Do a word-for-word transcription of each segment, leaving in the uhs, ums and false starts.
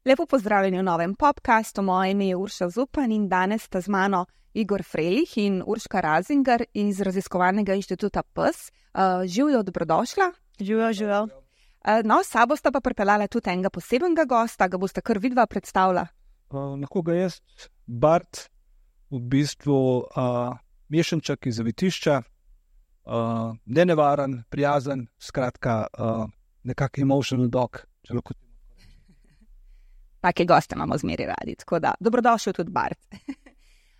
Lepo pozdravljeni v novem podcastu. Moje ime je Urša Zupan in danes sta z mano Igor Frelih in Urška Razinger iz Raziskovalnega inštituta P E S. Uh, živijo, dobrodošla. Živijo, živijo. Uh, no, s sabo sta pa pripeljala tudi enega posebnega gosta, ga boste kar vidva predstavila. Uh, lahko ga jaz, Bart, v bistvu uh, mešanček iz zavetišča, uh, nenevaren, prijazen, skratka uh, nekak emotional dog, če lahko. Take goste imamo zmeri radi, tako da dobrodošel tudi Bart.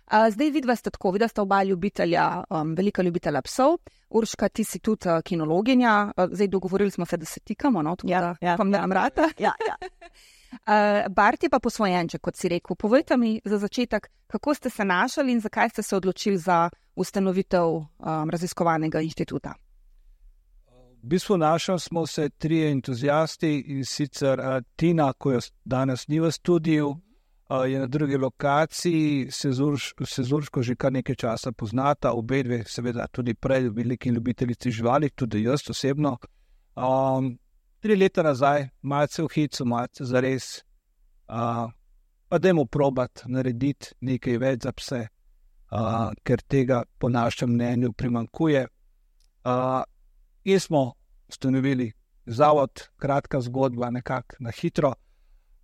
Uh, zdaj vidva sta tako, vidva sta oba ljubitelja, um, velika ljubitelja psov. Urška, ti si tudi uh, kinologinja, uh, zdaj dogovorili smo se, da se tikamo, no, tako ja, da ja, vam dam rata. Ja, ja. uh, Bart je pa posvojenček, kot si rekel. Povejte mi za začetek, kako ste se našli in zakaj ste se odločili za ustanovitev um, raziskovalnega inštituta? V bistvu našli smo se trije entuzijasti in sicer uh, Tina, ko jo danes ni v studiu, Uh, je na drugi lokaciji, se z Urško že kar nekaj časa poznata, obe dve seveda tudi prej veliki ljubiteljici živali, tudi jaz osebno. Um, tri leta nazaj, malce v hicu, malce zares, uh, pa dajmo probati narediti nekaj več za pse, uh, ker tega po našem mnenju primanjkuje. Uh, in smo ustanovili zavod, kratka zgodba, nekako na hitro.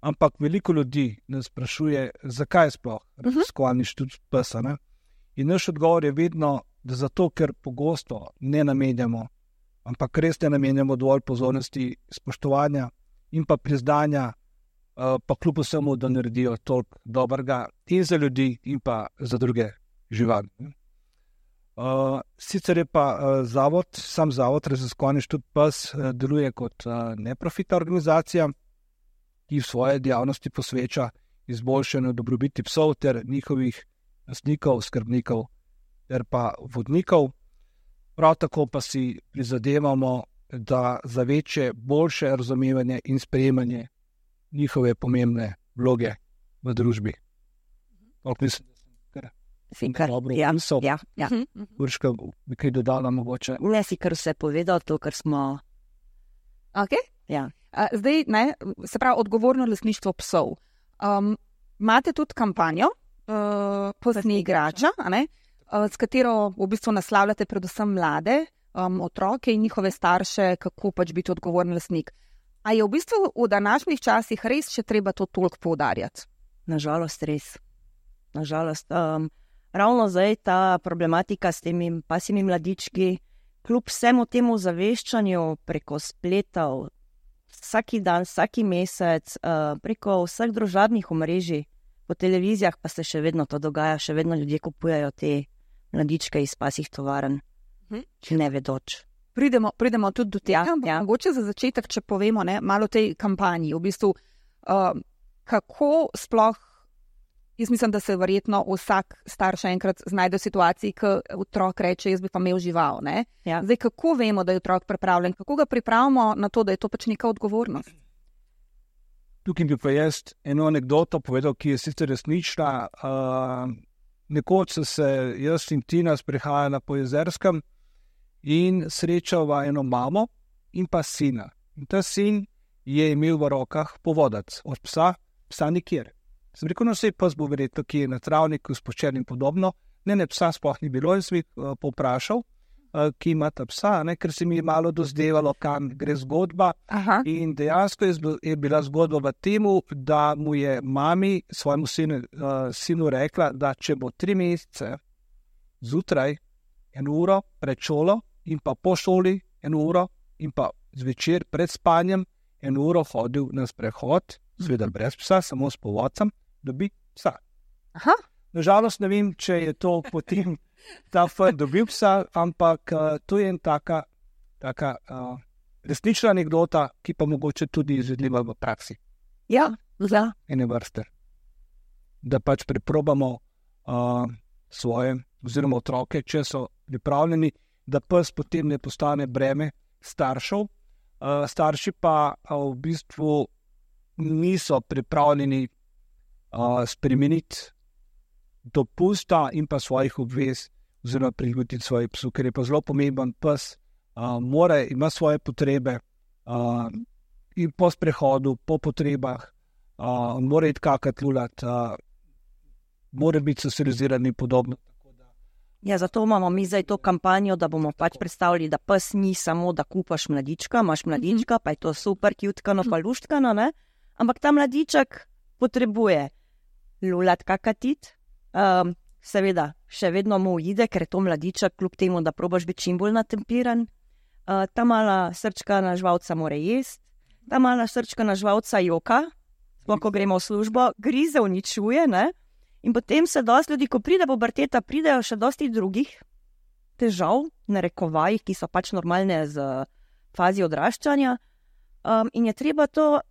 Ampak veliko ljudi nas sprašuje, zakaj sploh raziskovalni inštitut P E S. Ne? In naš odgovor je vedno, da zato, ker pogosto ne namenjamo, ampak res ne namenjamo dovolj pozornosti, spoštovanja in pa priznanja, pa kljub vsemu, da naredijo toliko dobrega in za ljudi in pa za druge živali. Uh, sicer je pa uh, zavod, sam zavod raziskovalni inštitut P E S uh, deluje kot uh, neprofitna organizacija, ki v svoje dejavnosti posveča izboljšanju dobrobiti psov ter njihovih lastnikov, skrbnikov ter pa vodnikov. Prav tako pa si prizadevamo, da za večje, boljše razumevanje in sprejemanje njihove pomembne vloge v družbi. Toliko mislim, da sem kar dobro opisal. Ja, ja. Urška, bi kaj dodala mogoče? Ne si kar vse povedal, to, kar smo... Ok? Ja. Zdaj, ne, se pravi, odgovorno lastništvo psov. Um, imate tudi kampanjo, uh, Pustni igrača, a ne, uh, s katero v bistvu naslavljate predvsem mlade um, otroke in njihove starše, kako pač biti odgovoren lastnik. A je v bistvu v današnjih časih res še treba to toliko poudarjati? Nažalost res. Nažalost. Um, ravno zdaj ta problematika s temi pasimi mladički, kljub vsemu temu zaveščanju preko spletov, vsaki dan, vsaki mesec, uh, preko vseh družabnih omrežij, po televizijah pa se še vedno to dogaja, še vedno ljudje kupujejo te mladičke iz pasjih tovarn, hm? ne vedoč. Pridemo, pridemo tudi do tega, ja, ja. Mogoče za začetek, če povemo ne, malo o tej kampanji, v bistvu, uh, kako sploh, jaz mislim, da se verjetno vsak starš enkrat znajde v situaciji, ko otrok reče, jaz bi pa imel žival. Ne? Ja. Zdaj, kako vemo, da je otrok pripravljen? Kako ga pripravimo na to, da je to pač neka odgovornost? Tukaj bi pa jaz eno anekdoto povedal, ki je sicer resnična. Uh, nekoč so se jaz in Tina sprehajala po Jezerskem in srečala eno mamo in pa sina. In ta sin je imel v rokah povodac od psa, psa nikjer. Sem rekel, no, vse pes bo verjetno, ki je na travniku spočen in podobno. Ne, ne, psa sploh ni bilo in sem jih uh, povprašal, uh, ki ima ta psa, ne, ker se mi je malo dozdevalo, kam gre zgodba. Aha. In dejansko je, je bila zgodba v temu, da mu je mami svojemu sinu, uh, sinu rekla, da če bo tri mesece zjutraj eno uro pred šolo in pa po šoli eno uro in pa zvečer pred spanjem eno uro hodil na sprehod, seveda brez psa, samo s povodcem, dobi psa. Aha. Nažalost ne vem, če je to potem ta fant dobil psa, ampak uh, to je en taka, taka uh, resnična anekdota, ki pa mogoče tudi izvedljiva v praksi. Ja, ja. Ene vrste. Da pač preprobamo uh, svoje oziroma otroke, če so pripravljeni, da pes potem ne postane breme staršev. Uh, starši pa uh, v bistvu niso pripravljeni uh, spremeniti dopusta in pa svojih obvez oziroma prilagoditi svojih psov, ker je pa zelo pomemben pes uh, mora, ima svoje potrebe uh, in po sprehodu, po potrebah, uh, mora iti kakati lulat, uh, mora biti socializiran in podobno. Ja, zato imamo mi zdaj to kampanjo, da bomo pač predstavili, da pes ni samo, da kupaš mladička, imaš mladička, pa je to super, kjutkano, pa luštkano, ne? Ampak ta mladiček potrebuje lulat kakatit, um, seveda še vedno mu ujde, ker je to mladiček, kljub temu, da probaš biti čim bolj natempiran. Uh, ta mala srčka na žvalca mora jesti, ta mala srčka na žvalca joka, sploh ko gremo v službo, grize, uničuje, ne? In potem se dosti ljudi, ko pride puberteta, pridejo še dosti drugih težav, narekovajih, ki so pač normalne z fazi odraščanja. Um, in je treba to,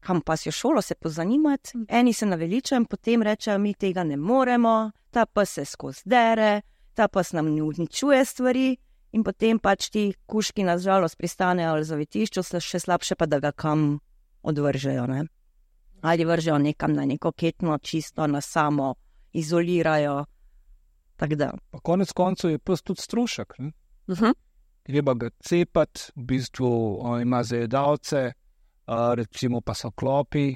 kam pa si v šolo se pozanimati, eni se naveličajo, potem rečejo, mi tega ne moremo, ta pes se skozi dere, ta pes nam ne uničuje stvari in potem pač ti kužki na žalost pristanejo ali zavetišču, še slabše pa, da ga kam odvržejo, ne? Ali vržejo nekam na neko ketno, čisto na samo, izolirajo. Tako da. Pa konec koncev je pes tudi strošek. Uh-huh. Treba ga cepati, v bistvu on ima zajedavce, uh, recimo pa so klopi,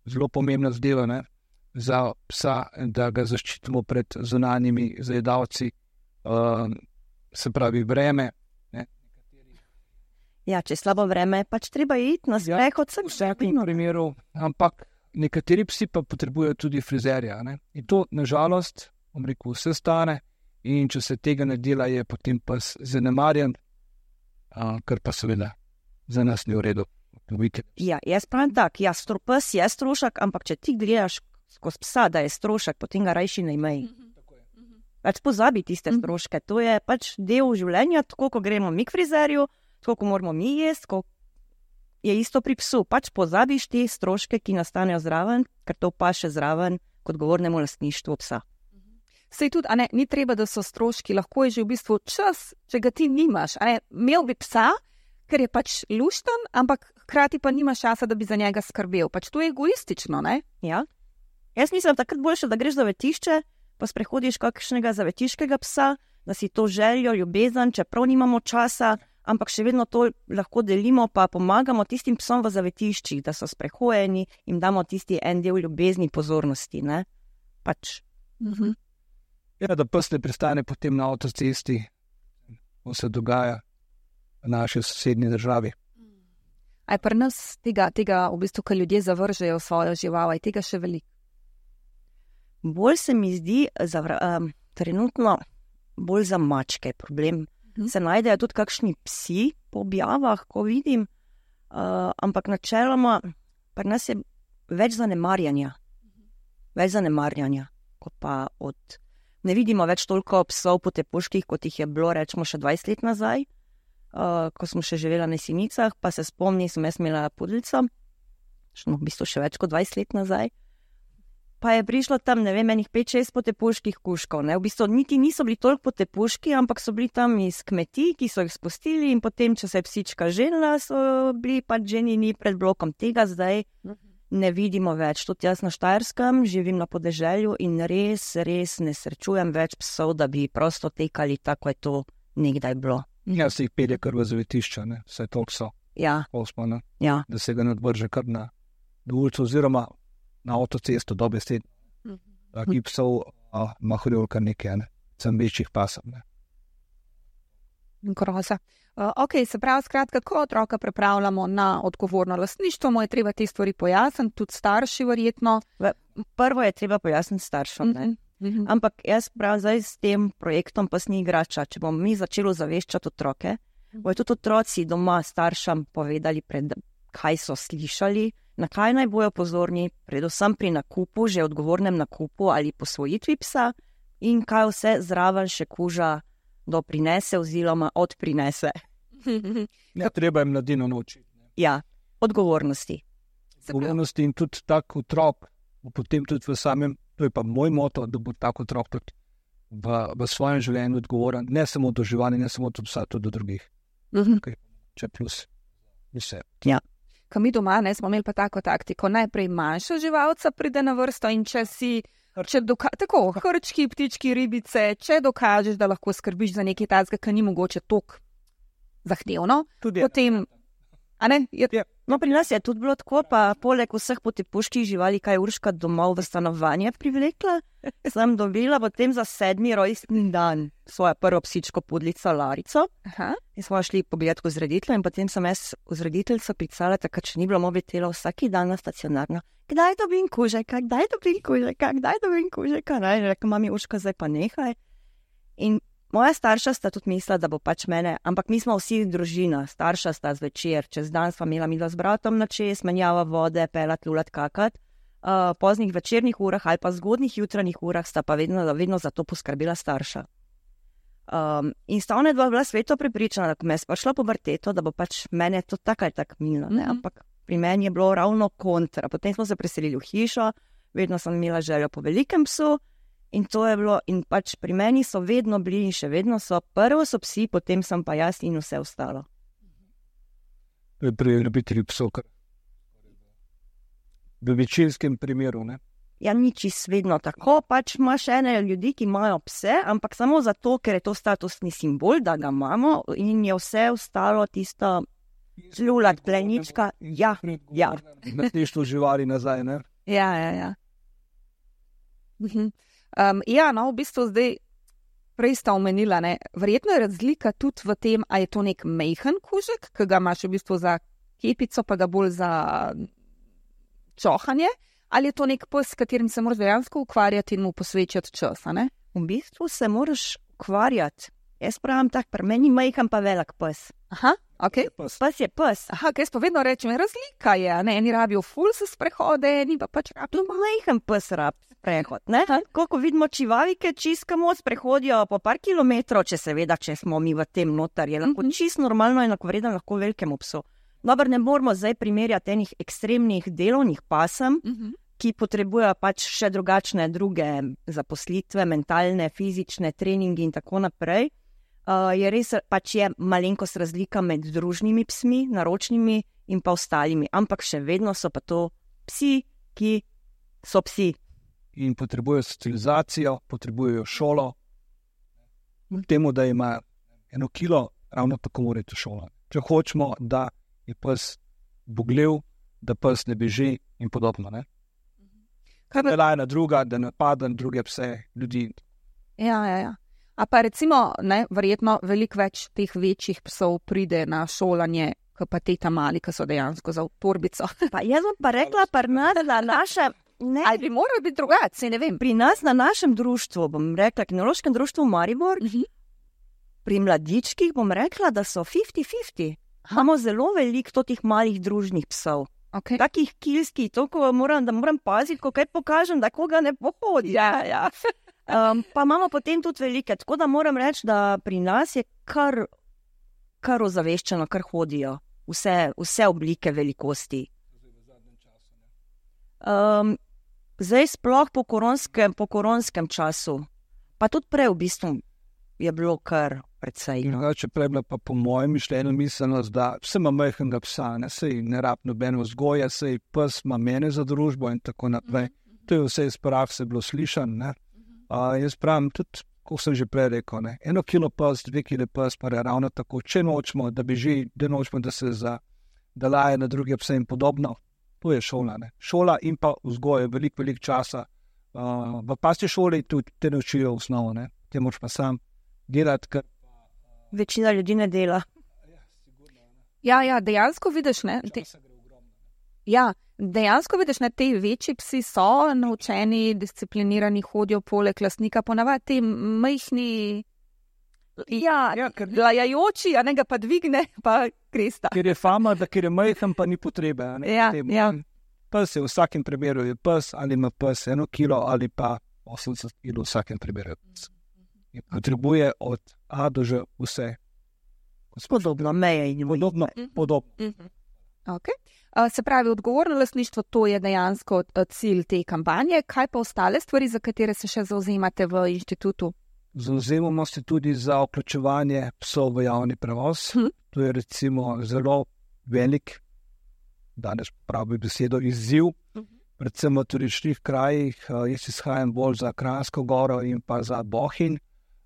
zelo pomembna zadeva, ne, za psa, da ga zaščitimo pred zunanjimi zajedavci, uh, se pravi vreme. Ne. Ja, če je slabo vreme, pač treba iti na sprehod. Ja, v vsakem primeru, ampak nekateri psi pa potrebujejo tudi frizerja. Ne? In to, nažalost, bom rekel, vse stane in če se tega ne dela, je potem pes zanemarjen, a, kar pa seveda za nas ni v redu. Ja, jaz pravim tak, ja, pes je strošek, ampak če ti gledaš skozi psa, da je strošek, potem ga rajši ne imej. Pač pozabi tiste stroške, to je pač del življenja, tako ko gremo mi k frizerju, koliko moramo mi jesti, koliko je isto pri psu. Pač pozabiš te stroške, ki nastanejo zraven, ker to pa še zraven kot govornemu lastništvu psa. Sej tudi, a ne, ni treba, da so stroški, lahko je že v bistvu čas, če ga ti nimaš. A ne, imel bi psa, ker je pač lušten, ampak hkrati pa nimaš časa, da bi za njega skrbel. Pač to je egoistično, ne? Ja. Jaz mislim, takrat boljše, da greš za zavetišče, pa sprehodiš kakšnega zavetiškega psa, da si to željo, ljubezen, čeprav nimamo časa, ampak še vedno to lahko delimo, pa pomagamo tistim psom v zavetiščih, da so sprehojeni, jim damo tisti en del ljubezni, pozornosti, ne? Pač. Uh-huh. Ja, da pes ne pristane potem na avtocesti, ko se dogaja v naši sosednji državi. A je pri nas tega, tega v bistvu, ko ljudje zavržejo svojo žival, je tega še veliko? Bolj se mi zdi, zavra, um, trenutno bolj za mačke problem. Se najdejo tudi kakšni psi po objavah, ko vidim, uh, ampak načeloma pri nas je več zanemarjanja. Več zanemarjanja, kot pa od... Ne vidimo več toliko psov po tepuških, kot jih je bilo, rečemo, še dvajset let nazaj, uh, ko smo še živela na Jesenicah, pa se spomni, sem jaz imela pudelca, no, v bistvu še več kot dvajset let nazaj, pa je prišlo tam, ne vem, enih pet šest potepuških kužkov, ne, v bistvu niti niso bili toliko potepuški, ampak so bili tam iz kmetij, ki so jih spustili in potem, če se je psička ženila, so bili pač ženini pred blokom. Tega zdaj ne vidimo več. Tudi jaz na Štajerskem živim na podeželju in res, res ne srečujem več psov, da bi prosto tekali, tako je to nekdaj bilo. Ja, se jih pelje kar v zavetišča, ne, vse toliko so. Ja. Osmo, ne, ja. Da se ga ne odvrže kar na ulico oziroma na avtocesto do besed. Taki psov ima hodil kar nekaj, ne, sem večjih pasov, ne. Groza. Uh, ok, se pravi, skratka, ko otroka pripravljamo na odgovorno lastništvo, mu je treba te stvari pojasniti, tudi starši verjetno. Prvo je treba pojasniti staršom, ne. Mm-hmm. Ampak jaz pravim zdaj s tem projektom Pes ni igrača, če bomo mi začeli zaveščati otroke, mm-hmm. bojo tudi otroci doma staršem povedali, pred, kaj so slišali, na kaj naj bojo pozorni, predvsem pri nakupu, že odgovornem nakupu ali posvojitvi psa in kaj vse zraven še kuža doprinese oziroma odprinese. Ja, treba jim mladino naučiti. Ja, odgovornosti. Odgovornosti in tudi tak otrok, potem tudi v samem, to je pa moj moto, da bo tak otrok tudi v, v svojem življenju odgovoren, ne samo do živali, ne samo do psa, tudi do drugih. Mhm. Okay. Če plus vse. Ja. Ko mi doma, ne, smo imeli pa tako taktiko, najprej manjša živalca pride na vrsto in če si če doka- tako, hrčki, ptički, ribice, če dokažeš, da lahko skrbiš za nekaj tazga, ki ni mogoče toliko zahtevno, Tudi potem, a ne, je, je. No, pri nas je tudi bilo tako, pa poleg vseh potepuških živali, kaj je Urška domov v stanovanje privlekla, sem dobila potem za sedmi rojstni dan svojo prvo psičko pudlico Larico. aha, In smo šli pogledat k vzreditelju in potem sem jaz vzrediteljco pisala, takrat še ni bilo mobitela, vsak dan na stacionarno. Kdaj dobim kužeka, kdaj dobim kužeka, kdaj dobim kužeka? Ne, in rekla, mami Urška, zdaj pa nehaj. In moja starša sta tudi mislila, da bo pač mene, ampak mi smo vsi družina, starša sta zvečer, čez dan sva imela midva z bratom na čez, menjava vode, pelat, lulat, kakat. Uh, poznih večernih urah ali pa zgodnih jutranjih urah sta pa vedno, vedno za to poskrbela starša. Um, in sta ona dva bila sveto prepričana, da ko me je sprašla puberteto, da bo pač mene to tako ali tako minilo, ne, Mhm. ampak pri meni je bilo ravno kontra. Potem smo se preselili v hišo, vedno sem imela željo po velikem psu in to je bilo, in pač pri meni so vedno bili in še vedno so, prvo so psi, potem sem pa jaz in vse ostalo. To je pri ljubitelju psov, kar v večinskem primeru, ne. Ja, ni čisto vedno tako, pač imaš ene ljudi, ki imajo pse, ampak samo zato, ker je to statusni simbol, da ga imamo in je vse ostalo tisto žlulat, plenička, ja, ja. Lastništvo živali nazaj, ne. ja, ja, ja. Mhm. Um, ja, no, v bistvu zdaj, prej sta omenila, ne, verjetno je razlika tudi v tem, a je to nek mejhen kužek, ki ga imaš v bistvu za kepico, pa ga bolj za čohanje, ali je to nek pes, s katerim se moraš dejansko ukvarjati in mu posvečati čas, a ne? V bistvu se moraš ukvarjati. Jaz pravim tak, pri meni majhen pa velik pes. Aha, ok. Pes. Pes je pes. Aha, kaj pa vedno rečem, razlika je, a ne, eni rabijo ful se sprehode, eni pa pač rabijo. Majhen pes rab sprehod, ne? Koliko vidimo čivavike, čiskamo, sprehodijo po par kilometrov, če seveda, če smo mi v tem notar, je lahko Mhm. čisto normalno in enakovreden lahko velikemu psu. Dobro, ne moramo zdaj primerjati enih ekstremnih delovnih pasem, Mhm. ki potrebujejo pač še drugačne druge zaposlitve, mentalne, fizične, treningi in tako naprej. Uh, je res pač je malenkost razlika med družnimi psmi, naročnimi in pa ostalimi, ampak še vedno so pa to psi, ki so psi. In potrebujejo socializacijo, potrebujejo šolo. Temu, da ima eno kilo, ravno tako mora iti v šolo. Če hočemo, da je pes bogljiv, da pes ne beži in podobno, ne. Kaj pa, Da laje na druga, da napada na druge pse, ljudi. ja, ja, ja. A pa recimo, ne, verjetno veliko več teh večjih psov pride na šolanje, kot pa te tam mali, ki so dejansko za v torbico. Pa jaz bom pa rekla, pri nas na našem, ne, Ali bi morali biti drugače, ne vem. pri nas na našem društvu, bom rekla, kinološkem društvu Maribor, Mhm. pri mladičkih bom rekla, da so fifty fifty. Imamo zelo veliko teh malih družnih psov. Okay. Takih kilskih, toliko moram, da moram paziti, ko kaj pokažem, da koga ne pohodi. Ja, ja. Um, pa imamo potem tudi velike, tako da moram reči, da pri nas je kar, kar ozaveščeno, kar hodijo. Vse, vse oblike velikosti. Um, zdaj sploh po koronskem, po koronskem času, pa tudi prej v bistvu je bilo kar precej. No. Drugače prej bila pa po mojem mišljenju miselnost, da vse ima majhnega psa, ne, sej ne rab nobeno vzgoja, sej pes ima mene za družbo in tako naprej. To je vse iz prakse bilo slišan, ne. Uh, jaz pravim tudi, kot sem že prej rekel, ne, eno kilo pes, dve kile pes, pa je ravno tako, če nočemo, da beži, da nočemo, da se za, da laje na druge pse in podobno, to je šola, ne. Šola in pa vzgoja, veliko, veliko časa. Uh, v pasji šoli tudi te naučijo osnovo, ne, te moraš pa sam delati, ker Večina ljudi ne dela. Ja, ja, dejansko vidiš, ne, te, ja, dejansko vidiš, ne, te večji psi so naučeni, disciplinirani, hodijo poleg lastnika, ponavadi te majhni, ja, Ja, ker- lajajoči, a ne ga pa dvigne, pa kresta. ker je fama, da ker je majhen, pa ni potrebe. a Ne, Ja, temu. ja. Pes je v vsakem primeru je pes, ali ima pes eno kilo ali pa osemdeset kilo v vsakem primeru. je pes. In potrebuje od A do Ž vse. Podobno, meje in Podobno, podobno. Mhm. Okay. Uh, se pravi, odgovorno lastništvo, to je dejansko uh, cilj te kampanje. Kaj pa ostale stvari, za katere se še zauzemate v inštitutu? Zavzemamo se tudi za vključevanje psov v javni prevoz. Hm. To je recimo zelo velik, danes pravi besedo, izziv. predvsem v turističnih krajih. Uh, jaz izhajam bolj za Kranjsko goro in pa za Bohinj.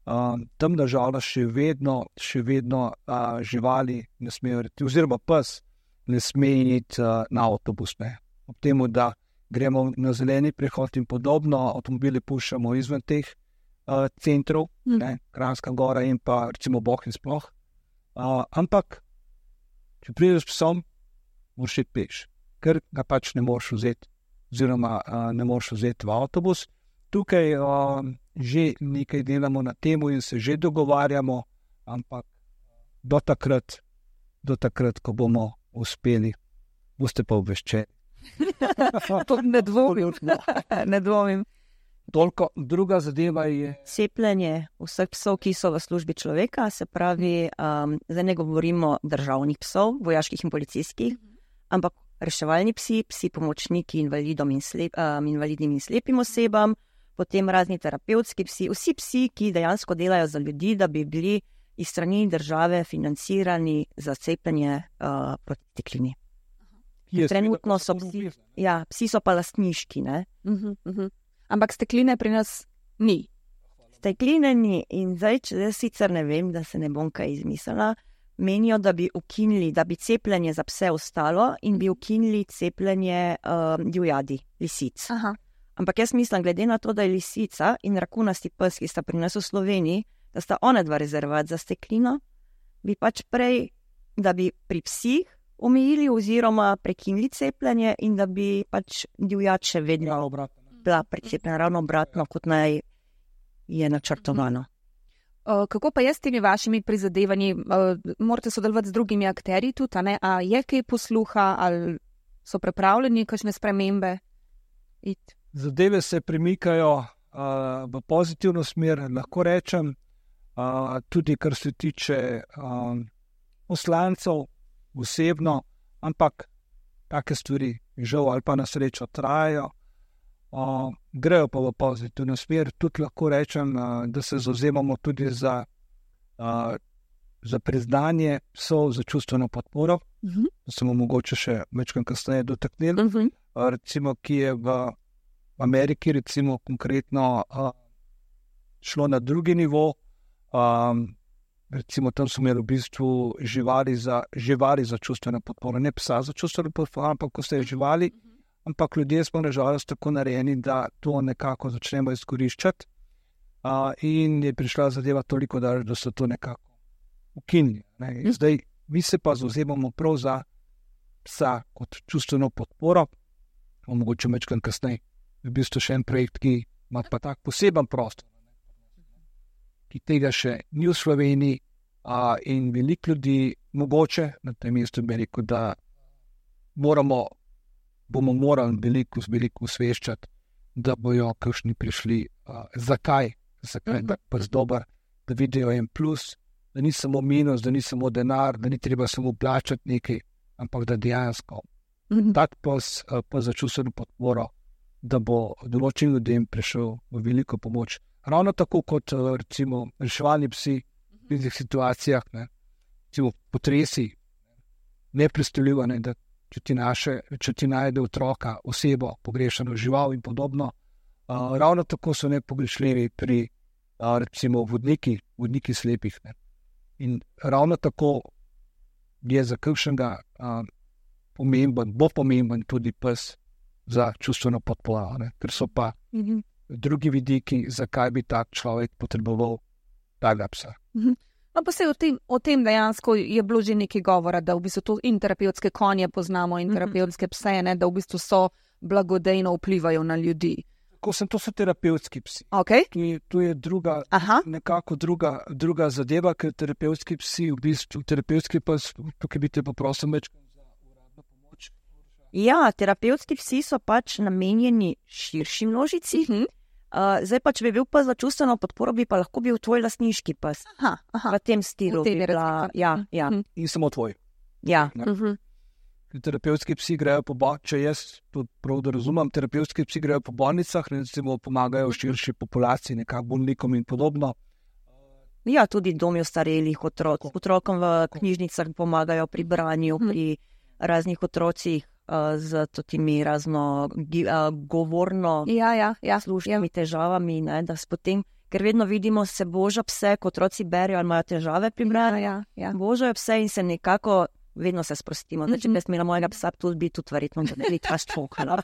Uh, tam nažalost še vedno, še vedno uh, živali ne smejo, oziroma pes ne sme iti uh, na avtobus. Ne. Ob temu, da gremo na zeleni prehod in podobno, avtomobili puščamo izven teh uh, centrov, mm. ne, Kranjska gora in pa recimo Bohinj sploh. Uh, ampak, če prideš s psom, moraš iti peš, ker ga pač ne moreš vzeti, oziroma uh, ne moreš vzeti v avtobus. Tukaj uh, že nekaj delamo na temu in se že dogovarjamo, ampak do takrat, do takrat, ko bomo uspeli, boste pa obveščeni. ne dvomim. ne dvomim. Toliko, druga zadeva je cepljenje vseh psov, ki so v službi človeka, se pravi, um, zdaj ne govorimo državnih psov, vojaških in policijskih, ampak reševalni psi, psi pomočniki invalidom in slep, um, invalidnim in slepim osebam, potem razni terapevtski psi, vsi psi, ki dejansko delajo za ljudi, da bi bili iz strani države financirani za cepljenje uh, proti steklini. Trenutno so psi, ja, psi so pa lastniški, ne? Uh-huh, uh-huh. Ampak stekline pri nas ni. Stekline ni in zdaj, če zdaj sicer ne vem, da se ne bom kaj izmislila, menijo, da bi ukinili, da bi cepljenje za pse ostalo in bi ukinili cepljenje um, divjadi, lisic. Aha. Ampak jaz mislim, glede na to, da je lisica in rakunasti pes, ki sta pri nas v Sloveniji, da sta one dva rezervat za steklino, bi pač prej, da bi pri psih omejili oziroma prekinili cepljenje in da bi pač divjad še vedno bila precepljena, ravno obratno, kot naj je načrtovano. Kako pa je s temi vašimi prizadevanji? Morate sodelovati z drugimi akterji tudi, a ne? A je kaj posluha, ali so pripravljeni kakšne spremembe? It. Zadeve se premikajo uh, v pozitivno smer, lahko rečem, uh, tudi kar se tiče uh, poslancev osebno, ampak take stvari žal ali pa na srečo trajajo. Uh, grejo pa v pozitivno smer, tudi lahko rečem, uh, da se zavzemamo tudi za, uh, za priznanje psov, za čustveno podporo, uh-huh. da smo mogoče še večkrat kasneje dotaknili, uh-huh. uh, recimo, ki je v Ameriki, recimo konkretno uh, šlo na drugi nivo, um, recimo tam so imeli v bistvu živali za, živali za čustveno podporo, ne psa za čustveno podporo, ampak ko ste živali, ampak ljudje smo nažalost tako narejeni, da to nekako začnemo izkoriščati uh, in je prišla zadeva toliko, da, da so to nekako ukinili. Ne. Zdaj, mi se pa zavzemamo prav za psa kot čustveno podporo, mogoče večkrat kasneje. V bistvu še en projekt, ki ima pa tak poseben prostor, ki tega še ni v Sloveniji uh, in veliko ljudi mogoče na tem mestu bi rekel, da moramo bomo morali veliko, veliko osveščati, da bojo kakšni prišli. Uh, zakaj? Zakaj je pa dober, da vidijo en plus, da ni samo minus, da ni samo denar, da ni treba samo plačati nekaj, ampak da dejansko mm-hmm. tak pas, uh, pa za čustveno podporo, da bo določenim ljudem prišel v veliko pomoč. Ravno tako kot uh, recimo reševalni psi v teh situacijah, ne, recimo potresi, nepredstavljivo, ne, da če ti, naše, če ti najde otroka, osebo, pogrešano žival in podobno. Uh, ravno tako so nepogrešljivi pri uh, recimo vodniki, vodniki slepih. Ne. In ravno tako je za kakšnega uh, pomemben, bo pomemben tudi pes za čustveno podporo, ne. Ker so pa mm-hmm. drugi vidiki, zakaj bi tak človek potreboval takega psa. Mm-hmm. No, pa se o tem, o tem dejansko je bilo že nekaj govora, da v bistvu to in terapevtske konje poznamo in terapevtske pse, ne, da v bistvu so blagodejno vplivajo na ljudi. Ko sem, to so terapevtski psi. Okay. Tu je, tu je druga, nekako druga, druga zadeva, ker terapevtski psi, v bistvu terapevtski pes, tukaj bi te poprosil večkrat za uradno pomoč. Ja, terapevtski psi so pač namenjeni širši množici. Mm-hmm. Uh, zdaj pa, če bi bil pes za čustveno podporo, bi pa lahko bil tvoj lastniški pes. Aha, aha. V tem stilu. V tem bi bila, ja, ja. Mm-hmm. In samo tvoj. Ja. Mm-hmm. Terapevtski psi grejo po bolnicah, če jaz prav da razumem, terapevtski psi grejo po bolnicah, recimo pomagajo širši populaciji, nekako bolnikom in podobno. Ja, tudi domi ostarelih otrok. Otrokom v knjižnicah pomagajo pri branju, pri raznih otrocih, uh, z temi razno uh, govorno ja, ja, ja, slušnimi ja. težavami, ne, da potem, ker vedno vidimo, se boža pse, kot otroci berijo ali imajo težave pri branju, ja, ja. božajo pse in se nekako vedno se sprostimo. Zdaj, če bi smela mojega psa tudi biti, tudi verjetno, da ne bi ta ščokala.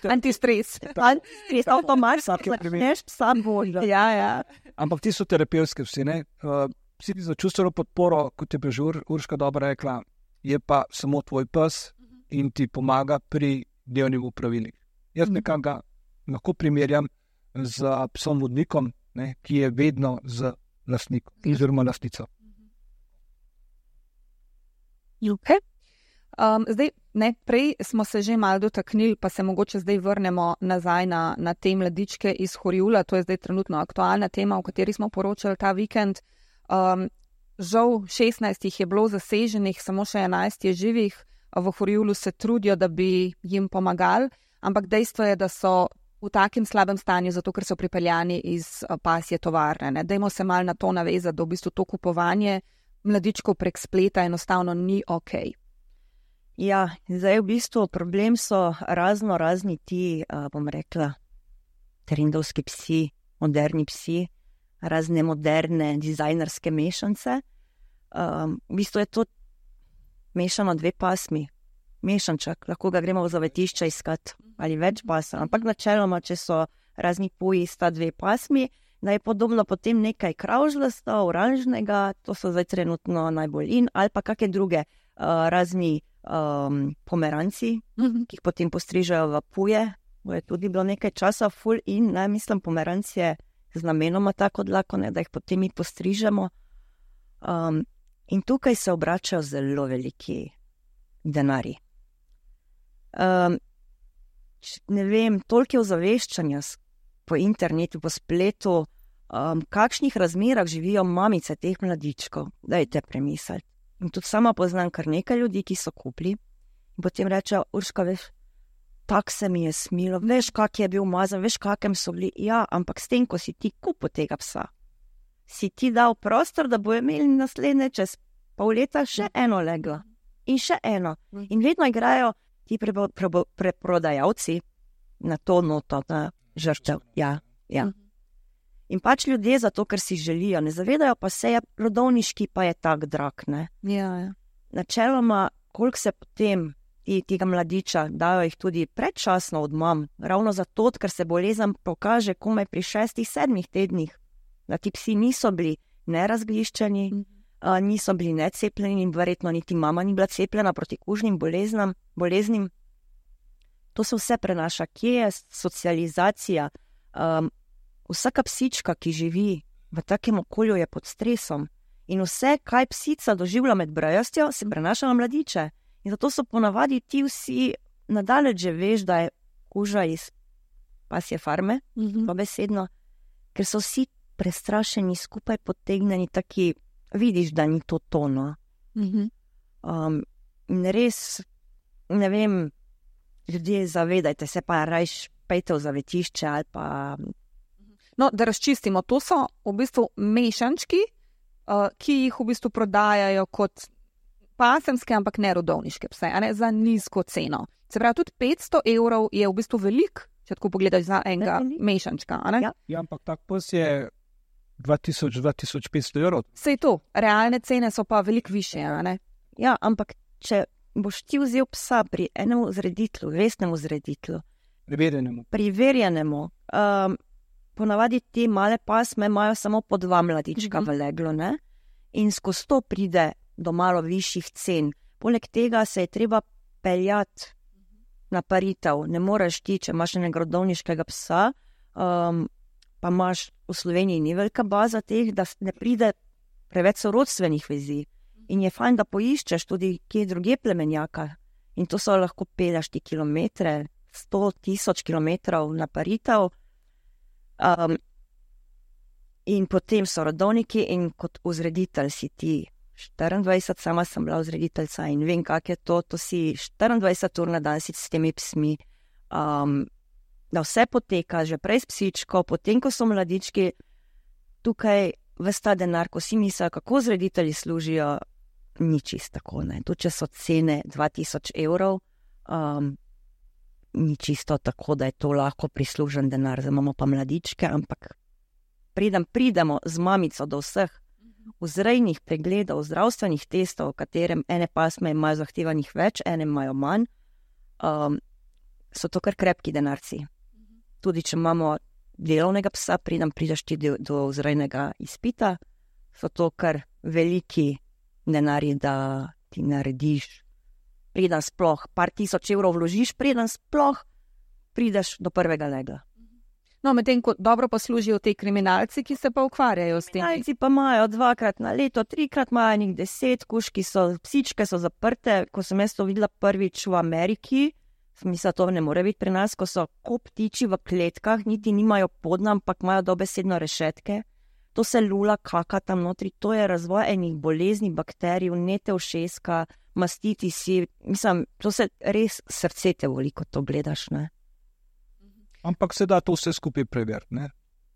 Antistres. Antistres, avtomatsko, neš psa boža. Ja, ja. Ampak ti so terapevtski vsi, ne? Uh, Psi za čustveno podporo, kot je že Ur, Urška dobro rekla, je pa samo tvoj pes in ti pomaga pri dnevnih opravilih. Jaz nekako lahko primerjam z psom vodnikom, ne, ki je vedno z lastnikom oziroma lastnico. Okay. Um, zdaj, ne, prej smo se že malo dotaknili, pa se mogoče zdaj vrnemo nazaj na, na te mladičke iz Horjula. To je zdaj trenutno aktualna tema, o kateri smo poročali ta vikend. Um, žal šestnajst jih je bilo zaseženih, samo še enajst je živih. V Horjulu se trudijo, da bi jim pomagali, ampak dejstvo je, da so v takem slabem stanju, zato ker so pripeljani iz pasje tovarne. Ne. Dajmo se malo na to navezati, da v bistvu to kupovanje mladičkov prek spleta enostavno ni ok. Ja, zdaj v bistvu problem so razno razni ti, uh, bom rekla, trendovski psi, moderni psi, razne moderne dizajnerske mešance. Um, v bistvu je to mešano dve pasmi, mešanček, lahko ga gremo v zavetišče iskati ali več pasem, ampak načeloma, če so razni puji, sta dve pasmi, da je podobno potem nekaj kravžlasta, oranžnega, to so zdaj trenutno najbolj in, ali pa kakšne druge uh, razni um, pomeranci, mm-hmm. ki jih potem postrižajo v puje, bo je tudi bilo nekaj časa full in, ne, mislim, pomeranci je z namenoma tako dlako, ne, da jih potem mi postrižemo. Um, in tukaj se obračajo zelo veliki denarji. Um, ne vem, toliko ozaveščanja po internetu, po spletu, um, kakšnih razmerah živijo mamice teh mladičkov, dajte premisliti. In tudi sama poznam kar nekaj ljudi, ki so kupili in potem rečejo, Urška, veš, tak se mi je smilo, veš, kak je bil mazan, veš, kakem so bili. Ja, ampak s tem, ko si ti kupil tega psa, si ti dal prostor, da bo imeli naslednje čez pol leta še eno leglo in še eno. In vedno igrajo ti preprodajalci na to noto, na žrtev. Ja, ja. In pač ljudje zato, ker si želijo, ne zavedajo pa se, je rodovniški pa je tak drag, ne. Ja, ja. Načeloma, koliko se potem ti, tega mladiča, dajo jih tudi predčasno od mam, ravno zato, ker se bolezen pokaže komaj pri šestih, sedmih tednih, da ti psi niso bili nerazgliščeni, mm. uh, niso bili necepljeni in verjetno niti mama ni bila cepljena proti kužnim boleznam, boleznim. To se vse prenaša. Kje je socializacija? Um, vsaka psička, ki živi v takem okolju, je pod stresom in vse, kaj psica doživlja med brajostjo, se prenaša na mladiče. In zato so ponavadi ti vsi nadaleč že veš, da je kuža iz pasje farme, mm-hmm. pa besedno, ker so vsi prestrašeni, skupaj potegnjeni, taki, vidiš, da ni to tono. Mm-hmm. Um, in res, ne vem, ljudje, zavedajte se, pa rajš pejte v zavetišče ali pa... No, da razčistimo, to so v bistvu mešančki, uh, ki jih v bistvu prodajajo kot pasemske, ampak ne rodovniške pse, a ne za nizko ceno. Se pravi, tudi petsto evrov je v bistvu velik, če tako pogledaš za enega mešančka, a ne? Ja, ja ampak tak pes je dva tisoč do dva tisoč petsto evrov. Sej to, realne cene so pa veliko više, a ne? Ja, ampak če boš ti vzel psa pri enemu zreditlu, resnemu zreditlu, Preverjenemu. Preverjenemu, um, ponavadi te male pasme imajo samo po dva mladička mm-hmm. v leglo, ne? In skozi to pride do malo višjih cen. Poleg tega se je treba peljati na paritev. Ne moreš ti, če imaš enega rodovniškega psa, um, pa imaš v Sloveniji ni velika baza teh, da ne pride preveč sorodstvenih vezi. In je fajn, da poiščeš tudi kje druge plemenjaka. In to so lahko pelješ ti kilometre, sto tisoč kilometrov na paritev. Um, in potem so rodovniki in kot vzreditelj si ti štiriindvajset, sama sem bila vzrediteljca in vem, kak je to, to si štiriindvajset ur na dan si s temi psmi, um, da vse poteka, že prej s psičko, potem, ko so mladički, tukaj ves ta denar, ko si mislijo, kako vzreditelji služijo, ni čist tako, ne. Tu, če so cene dva tisoč evrov, Um, ni čisto tako, da je to lahko prislužen denar, zdaj imamo pa mladičke, ampak preden pridemo z mamico do vseh vzrejnih pregledov, zdravstvenih testov, v katerem ene pasme imajo zahtevanih več, ene imajo manj, um, so to kar krepki denarci. Tudi če imamo delovnega psa, preden prideš ti do, do vzrejnega izpita, so to kar veliki denarji, da ti narediš, preden sploh par tisoč evrov vložiš, preden sploh prideš do prvega legla. No, medtem ko dobro poslužijo te kriminalci, ki se pa ukvarjajo s tem. Kriminalci pa imajo dvakrat na leto, trikrat imajo njih deset, kužki so, psičke so zaprte. Ko sem jaz to videla prvič v Ameriki, sem mislila, to ne more biti pri nas, ko so ko ptiči v kletkah, niti nimajo podna, ampak imajo dobesedno rešetke. To se lula kaka tam notri, to je razvoj enih bolezni, bakterij, vnete ušeska, mastitisi, mislim, to se res srce te voli, ko to gledaš, ne. Ampak se da to vse skupaj preveriti, ne.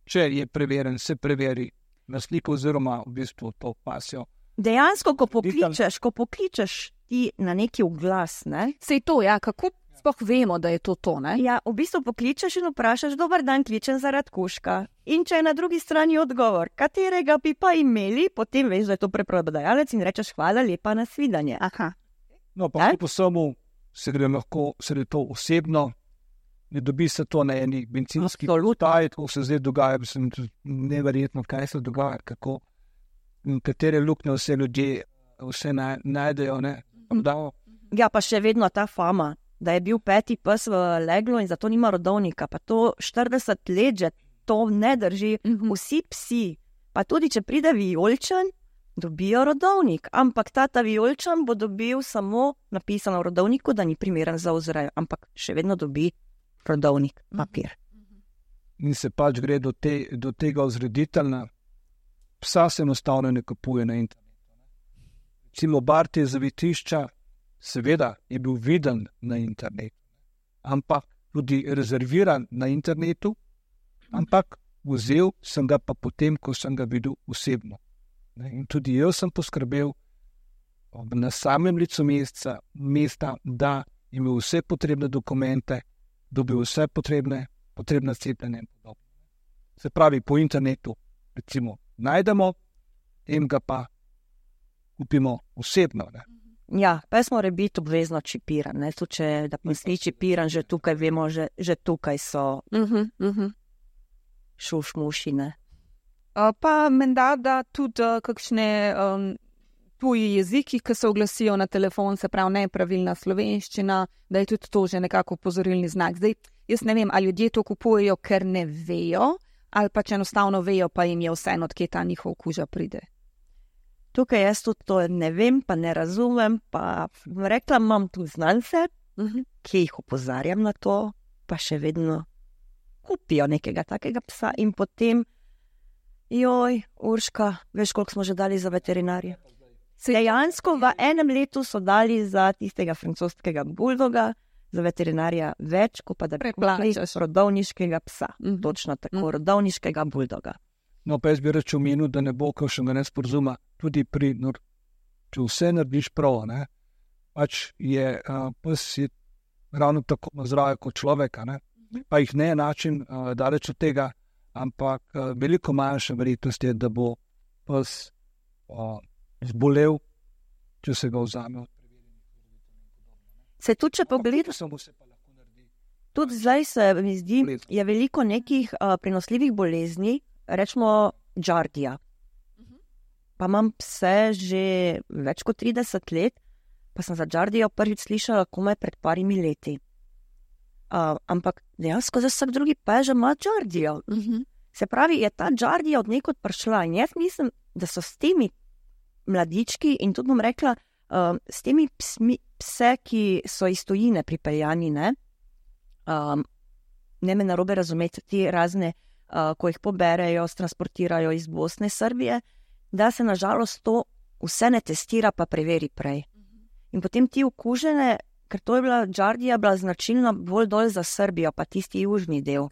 Če je preveren, se preveri na sliko oziroma v bistvu to pasjo. Dejansko, ko pokličeš, ko pokličeš ti na neki oglas, ne. Sej to, ja, kako sploh vemo, da je to to, ne? Ja, v bistvu pokličeš in vprašaš, dober dan, kličem zaradi kužka. In če je na drugi strani odgovor, katerega bi pa imeli, potem veš, da je to preprodajalec in rečeš hvala lepa, na svidanje. Aha. No, pa po samo se gre lahko, se gre to osebno, ne dobi se to na eni bencinski postaj, ko se zdaj dogaja, mislim, neverjetno, kaj se dogaja, kako, katere luknje vse ljudje vse najdejo, ne. Ja, pa še vedno ta fama, da je bil peti pes v leglu in zato nima rodovnika, pa to štirideset let že to ne drži. Vsi psi, pa tudi če pride vijoličen, dobijo rodovnik, ampak tata vijoličen bo dobil samo napisano v rodovniku, da ni primeren za vzrejo, ampak še vedno dobi rodovnik, papir. In se pač gre do, te, do tega vzrediteljna, psa se enostavno ne kupuje na internetu. Recimo Barti zavetišča, seveda je bil viden na internetu, ampak tudi rezerviran na internetu, ampak vzel sem ga pa potem, ko sem ga videl osebno. In tudi jaz sem poskrbel na samem licu mesta, mesta, da imel vse potrebne dokumente, dobil vse potrebne, potrebne cepljenje in podobno. Se pravi, po internetu recimo najdemo, in ga pa kupimo osebno, ne. Ja, pes mora biti obvezno čipiran, ne, tudi če da pes ni čipiran, že tukaj vemo, že, že tukaj so Uh-huh, uh-huh. šušmuši, ne. Uh, pa menda, da tudi uh, kakšne um, tuji jeziki, ki se oglasijo na telefon, se pravi nepravilna slovenščina, da je tudi to že nekako upozorilni znak. Zdaj, jaz ne vem, ali ljudje to kupujejo, ker ne vejo, ali pa če enostavno vejo, pa jim je vseeno, odkje ta njihov kuža pride. Tukaj jaz tudi to ne vem, pa ne razumem, pa rekla, imam tu znance, Uh-huh. ki jih opozarjam na to, pa še vedno kupijo nekega takega psa in potem, joj, Urška, veš, koliko smo že dali za veterinarja? Dejansko v enem letu so dali za tistega francoskega buldoga, za veterinarja več, kot pa da bi kupili rodovniškega psa. Mhm. Točno tako, rodovniškega buldoga. No, pa jaz bi reč omenil, da ne bo kakšnega nesporazuma, tudi pri, no, če vse narediš prav, ne, pač je uh, pes je ravno tako zdrav kot človeka, ne, pa jih ne način uh, daleč od tega, ampak uh, veliko manjša verjetnost je, da bo pes uh, zbolel, če se ga vzame od preverjenih. Se tudi, če pogledaš, tudi zdaj se mi zdi, je veliko nekih uh, prenosljivih bolezni, rečemo Giardia. Pa imam pse že več kot trideset let, pa sem za Giardijo prvič slišala komaj pred parimi leti. Uh, ampak dejansko za vsak drugi pes že ima Giardijo. Uh-huh. Se pravi, je ta Giardija od nekod prišla in jaz mislim, da so s temi mladički in tudi bom rekla, uh, s temi psmi, pse, ki so iz tujine pripeljani, ne, um, ne me narobe razumeti, ti razne, uh, ko jih poberejo, transportirajo iz Bosne, Srbije, da se nažalost to vse ne testira, pa preveri prej. In potem ti okužene, ker to je bila Giardija, bila značilna bolj dol za Srbijo, pa tisti južni del.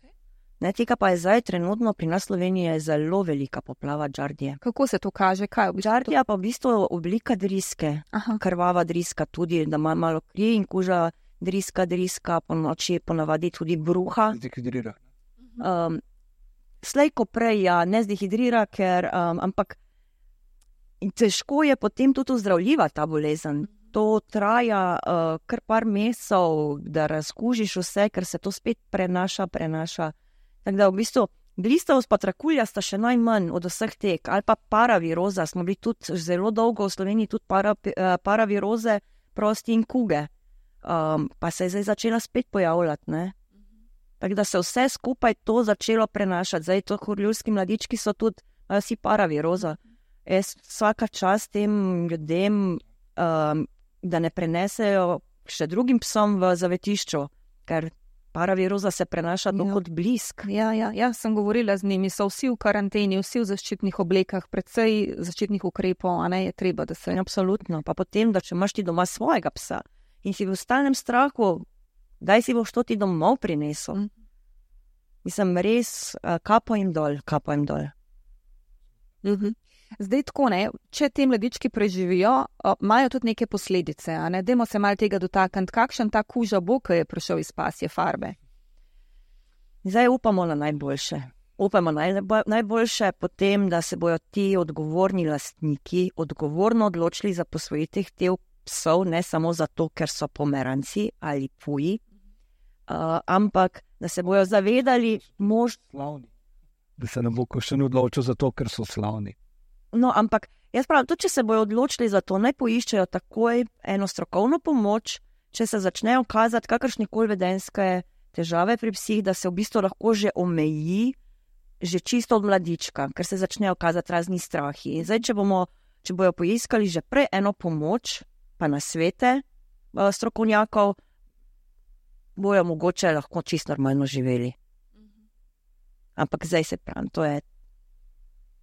Ne, tega pa je zdaj trenutno pri nas Sloveniji je zelo velika poplava Giardije. Kako se to kaže? Kaj je Giardija pa v bistvu oblika driske, Aha. krvava driska tudi, da ima malo kri in kuža driska, driska, po noči ponavadi tudi bruha. Dehidrira. Um, slej ko prej, ja, ne zdehidrira, ker, um, ampak težko je potem tudi ozdravljiva ta bolezen. To traja uh, kar par mesecev, da razkužiš vse, ker se to spet prenaša, prenaša. Tako da v bistvu blistavost pa trakulja sta še najmanj od vseh tek, ali pa paraviroza, smo bili tudi zelo dolgo v Sloveniji, tudi para, uh, paraviroze, prosti in kuge. Um, pa se je zdaj začela spet pojavljati, ne? Tako da se vse skupaj to začelo prenašati. Zdaj to horljulski mladički so tudi uh, vsi paraviroza. Jaz vsaka čast tem ljudem, um, da ne prenesejo še drugim psom v zavetišču, ker paraviroza se prenaša ja. kot blisk. Ja, ja, ja, sem govorila z njimi, so vsi v karanteni, vsi v zaščitnih oblekah, predvsej zaščitnih ukrepov, a ne je treba, da se... Absolutno, pa potem, da če imaš ti doma svojega psa in si v stalnem strahu, daj si boš to ti domov prinesel. Mm. Mislim, res, kapo jim dol, kapo jim dol. Mhm. Zdaj tako, ne, če te mladički preživijo, imajo tudi neke posledice, a ne, dajmo se malo tega dotakniti, kakšen ta kuža bo, ki je prišel iz pasje farbe? Zdaj upamo na najboljše. Upamo na najboljše potem, da se bojo ti odgovorni lastniki odgovorno odločili za posvojitev teh psov, ne samo zato, ker so pomeranci ali puji, uh, ampak da se bojo zavedali mož... Slavni. Da se ne bo še ne odločil zato, ker so slavni. No, ampak jaz pravim, tudi če se bojo odločili za to, naj poiščejo takoj eno strokovno pomoč, če se začnejo kazati kakršnekoli vedenjske težave pri psih, da se v bistvu lahko že omeji, že čisto od mladička, ker se začnejo kazati razni strahi. In zdaj, če bomo, če bojo poiskali že prej eno pomoč, pa na svete uh, strokovnjakov, bojo mogoče lahko čisto normalno živeli. Ampak zdaj se pravim, to je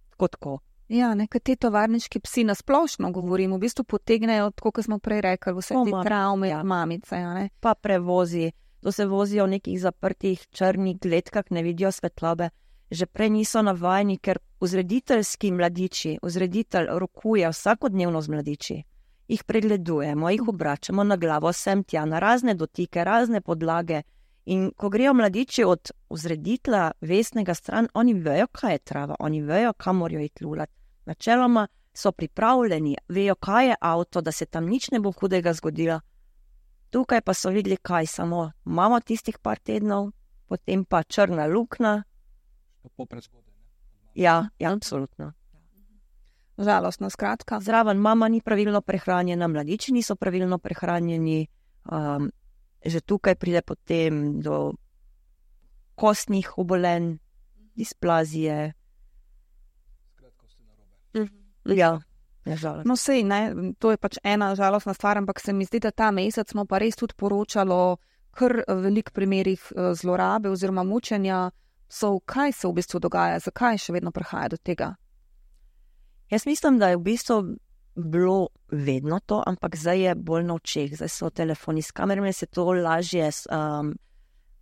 tako tako. Ja, nekaj te tovarniški psi nasplošno govorim, v bistvu potegnejo, tako kot smo prej rekli, vse te travme, ja. mamice. Ja, ne? Pa prevozi, to se vozijo v nekih zaprtih črnih kletkah, ne vidijo svetlobe. Že prej niso navajeni, ker vzrediteljski mladiči, vzreditelj rokuje vsakodnevno z mladiči. Jih pregledujemo, jih obračamo na glavo, sem tja, na razne dotike, razne podlage. In ko grejo mladiči od vzreditla vestnega stran, oni vejo, kaj je trava, oni vejo, kam morajo iti lulati. Načeloma so pripravljeni, vejo, kaj je avto, da se tam nič ne bo hudega zgodilo. Tukaj pa so videli, kaj samo imamo tistih par tednov, potem pa črna luknja. Tako prezgodaj. Ja, ja, absolutno. Žalostno, skratka. Zraven mama ni pravilno prehranjena, mladiči niso pravilno prehranjeni, um, že tukaj pride potem do kostnih obolenj, displazije. Skratko ste narobe. Ja, je žalostno. No sej, ne, to je pač ena žalostna stvar, ampak se mi zdi, da ta mesec smo pa res tudi poročalo kar velik primerih zlorabe oziroma mučenja. So, kaj se v bistvu dogaja, zakaj še vedno prihaja do tega? Jaz mislim, da je v bistvu bilo vedno to, ampak zdaj je bolj na očeh, zdaj so telefoni s kamerami, se to lažje um,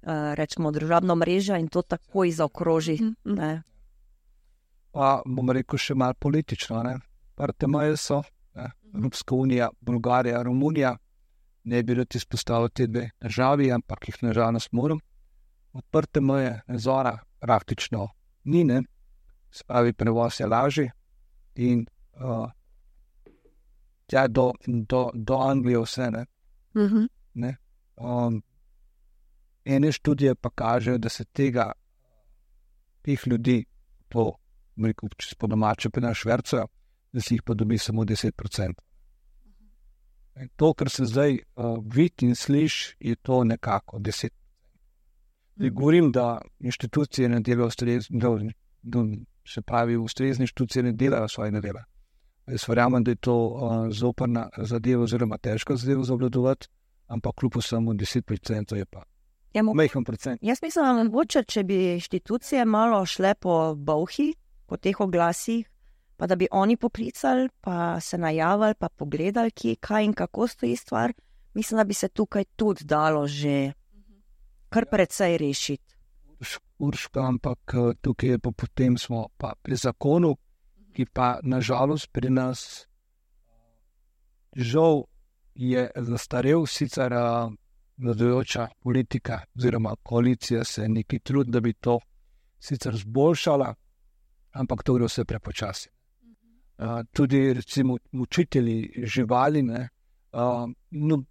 uh, rečemo družabno mrežo in to takoj zaokroži. Mm-hmm. Ne? Pa bom rekel še malo politično, ne? Prte meje so, ne? Evropska unija, Bolgarija, Romunija, ne bi rad izpostavil te dve državi, ampak jih nažalost moram. Odprte meje, nadzora praktično ni, ne? Spravi prevoz je lažji in uh, tja do, do, do Anglije vse, ne. Mm-hmm. ne? Um, ene študije pa kažejo, da se tega teh ljudi to, rekel, če se po domače pa na švercajo, da si jih pa dobi samo deset procentov. Mm-hmm. To, kar se zdaj uh, vidi in sliši, je to nekako deset procentov. Mm-hmm. Govorim, da inštitucije ne delajo ustrezno, da se pravi, ustrezne inštitucije ne delajo svojega dela. Jaz verjamem, da je to uh, zoprna zadeva oziroma težka zadeva za obvladovati, ampak kljub vsemu deset procentov je pa ja, majhen procent. Jaz mislim, da mogoče, če bi inštitucije malo šle po bolhi, po teh oglasih, pa da bi oni poklicali, pa se najavili, pa pogledali, kje, kaj in kako stoji stvar, mislim, da bi se tukaj tudi dalo že kar precej rešiti. Urška, ampak tukaj je pa potem smo pa pri zakonu, ki pa nažalost pri nas žal je zastarel, sicer vladajoča politika oziroma koalicija se neki trud, da bi to sicer zboljšala, ampak to gre vse prepočasi. Uh, tudi recimo učitelji živali, ne, uh, no,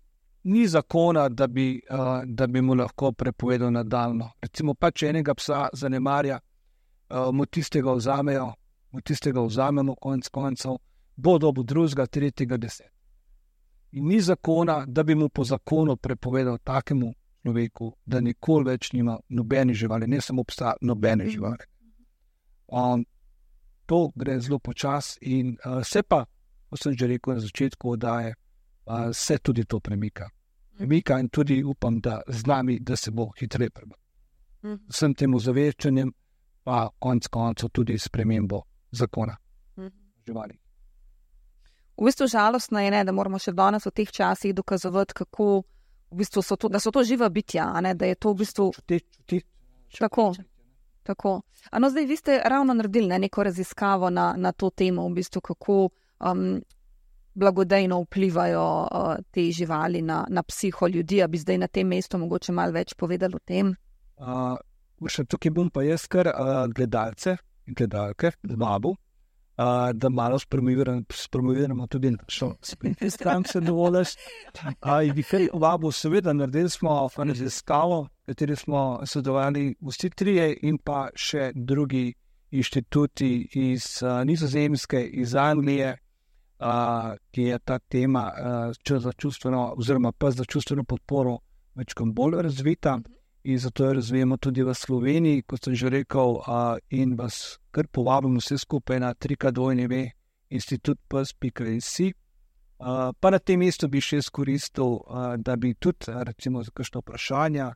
ni zakona, da bi, uh, da bi mu lahko prepovedal nadaljno. Recimo pač enega psa zanemarja, uh, mu tistega vzamejo, mu tistega vzamemo konec koncev, bo dobil drugega, tretjega, deset. In ni zakona, da bi mu po zakonu prepovedal takemu človeku, da nikoli več nima nobene živali, ne samo psa, nobene živali. Um, to gre zelo počas in uh, se pa, ko sem že rekel na začetku, da je, uh, se tudi to premika. Premika in tudi upam, da z nami, da se bo hitreje prebral. Vsem temu zaveščanjem pa konec koncev tudi spremembo zakona živali. V bistvu žalostno je, ne, da moramo še danes v teh časih dokazovati, kako v bistvu so to, da so to živa bitja, a ne, da je to v bistvu čuti, čuti, čuti. Tako, tako. Ano, zdaj vi ste ravno naredili ne, neko raziskavo na, na to temo, v bistvu, kako um, blagodejno vplivajo uh, te živali na, na psiho ljudi, a bi zdaj na tem mestu mogoče malo več povedali o tem? Uh, še tukaj bom pa jaz kar uh, gledalce in gledalke z babu, Uh, da malo spromoviramo tudi našo spletno stran, se dovoliš. In bi kaj vabo, seveda, naredili smo raziskavo, v kateri smo sodelovali vsi trije in pa še drugi inštituti iz uh, Nizozemske, iz Anglije, uh, ki je ta tema uh, za čustveno, oziroma pa za čustveno podporo večkrat bolj razvita. In zato jo razvijemo tudi v Sloveniji, kot sem že rekel, uh, in vas kar povabim vse skupaj na www pika institut pes pika si. Uh, pa na tem mestu bi še izkoristil, uh, da bi tudi, recimo, za kakšno vprašanje,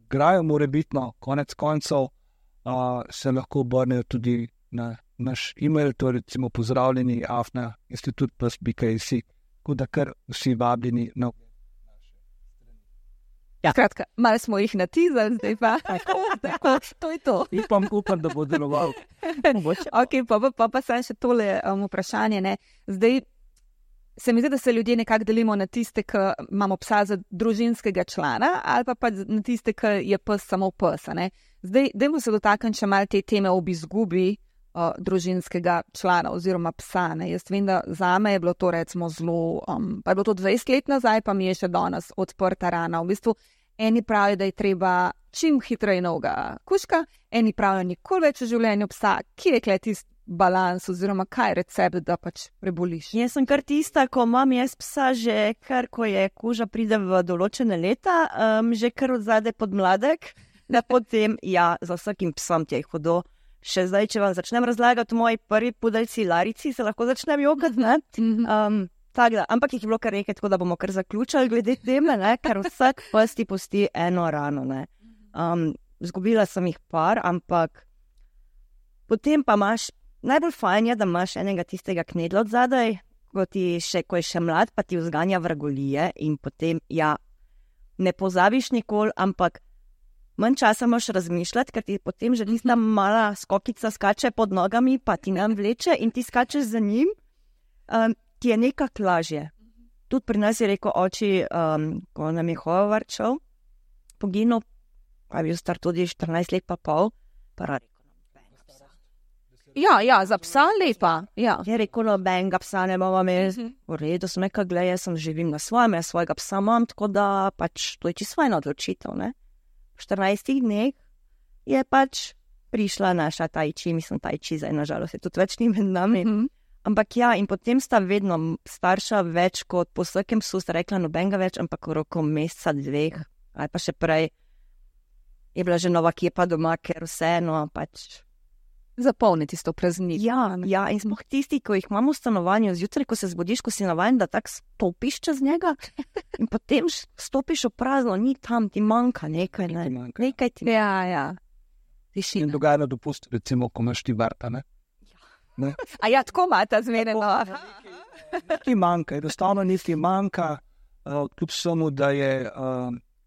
grajo morebitno, konec koncev, uh, se lahko obrnejo tudi na naš e-mail, to je recimo pozdravljeni afna institut pes pika si, tako da kar vsi vabljeni na Ja. Skratka, malo smo jih natizali, zdaj pa. Tako, tako, to je to. Upam, upam, da bo deloval. Ok, pa pa, pa, pa sem še tole um, vprašanje. Ne. Zdaj, se mi zdi, da se ljudje nekako delimo na tiste, ki imamo psa za družinskega člana, ali pa, pa na tiste, ki je pes samo pes. Ne. Zdaj, dajmo se dotakniti še malo te teme ob izgubi uh, družinskega člana oziroma psa. Ne. Jaz vem, da zame je bilo to recimo zelo, um, pa je bilo to dvajset let nazaj, pa mi je še danes odprta rana. V bistvu, eni pravijo, da je treba čim hitreje novega kužka, eni pravijo nikoli več v življenju psa. Kje je kle tisti balans oziroma kaj je recept, da pač preboliš? Jaz sem kar tista, ko imam jaz psa že kar, ko je kuža pride v določene leta, um, že kar od zadaj pod mladek, da potem, ja, za vsakim psom ti je hodo. Še zdaj, če vam začnem razlagati moji prvi pudeljci Larici, se lahko začnem jokati, ne? Um, Tak, da, ampak jih je bilo kar nekaj, tako da bomo kar zaključali glede teme, ne, ker vsak pes ti pusti eno rano. Ne. Um, zgubila sem jih par, ampak potem pa imaš, najbolj fajn je, da imaš enega tistega knedla od zadaj, ko, ti še, ko je še mlad, pa ti vzganja vragolije in potem, ja, ne pozabiš nikoli, ampak manj časa moraš razmišljati, ker ti potem že tista mala skokica skače pod nogami, pa ti nam vleče in ti skačeš za njim. Um, ti je nekako lažje. Tudi pri nas je rekel oči, um, ko nam je Hovarčev poginil, pa je bil star tudi štirinajst let pa pol, pa rekel, nobenega psa. Ja, ja, za psa lepa. Ja. Je rekel, nobenega psa ne bomo imeli. V redu, sem nekaj gleda, jaz sem živim na svojem, jaz svojega psa imam, tako da pač to je čisto fajna odločitev, ne. V štirinajstih dneh je pač prišla naša tajči, mislim tajči, zdaj nažalost je tudi več ni med nami. Mm-hmm. Ampak ja, in potem sta vedno starša več kot po vsakem psu, sta rekla nobenega več, ampak v roku meseca, dveh, ali pa še prej je bila že nova kepa doma, ker vseeno pač zapolniti s to praznik. Ja, ja, in smo tisti, ko jih imamo v stanovanju, zjutraj, ko se zbudiš, ko si navajen, da tak stopiš čez njega in potem stopiš v prazno, ni tam, ti manjka nekaj, ne? Manjka. Nekaj ti Ja, ja. In dogaja na dopustu, recimo, ko imaš ti vrta, ne? Ne? A ja, tako imata zmereno. Nekaj manjka, enostavno nekaj manjka, uh, kljub samo, da je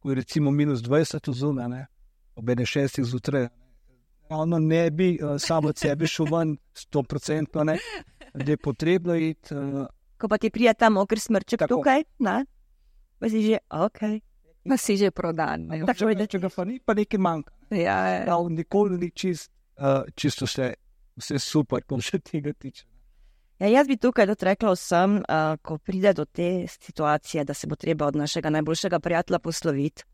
uh, recimo minus dvajset zunaj, ne, ob ene šestih zjutraj. Ono ne bi uh, samo od sebe šel ven sto procentno, ne, da je potrebno iti. Uh, Ko pa ti prija ta moker smrček Tako. tukaj, ne, pa si že, ok, Pa si že prodan. Ne? Če, če ga pa ni, pa nekaj manjka. Ja, ja. Da, nikoli ni čist, uh, čisto vse, vse super, ko še tega tiče. Ja, jaz bi tukaj tudi rekla vsem, uh, ko pride do te situacije, da se bo treba od našega najboljšega prijatelja posloviti,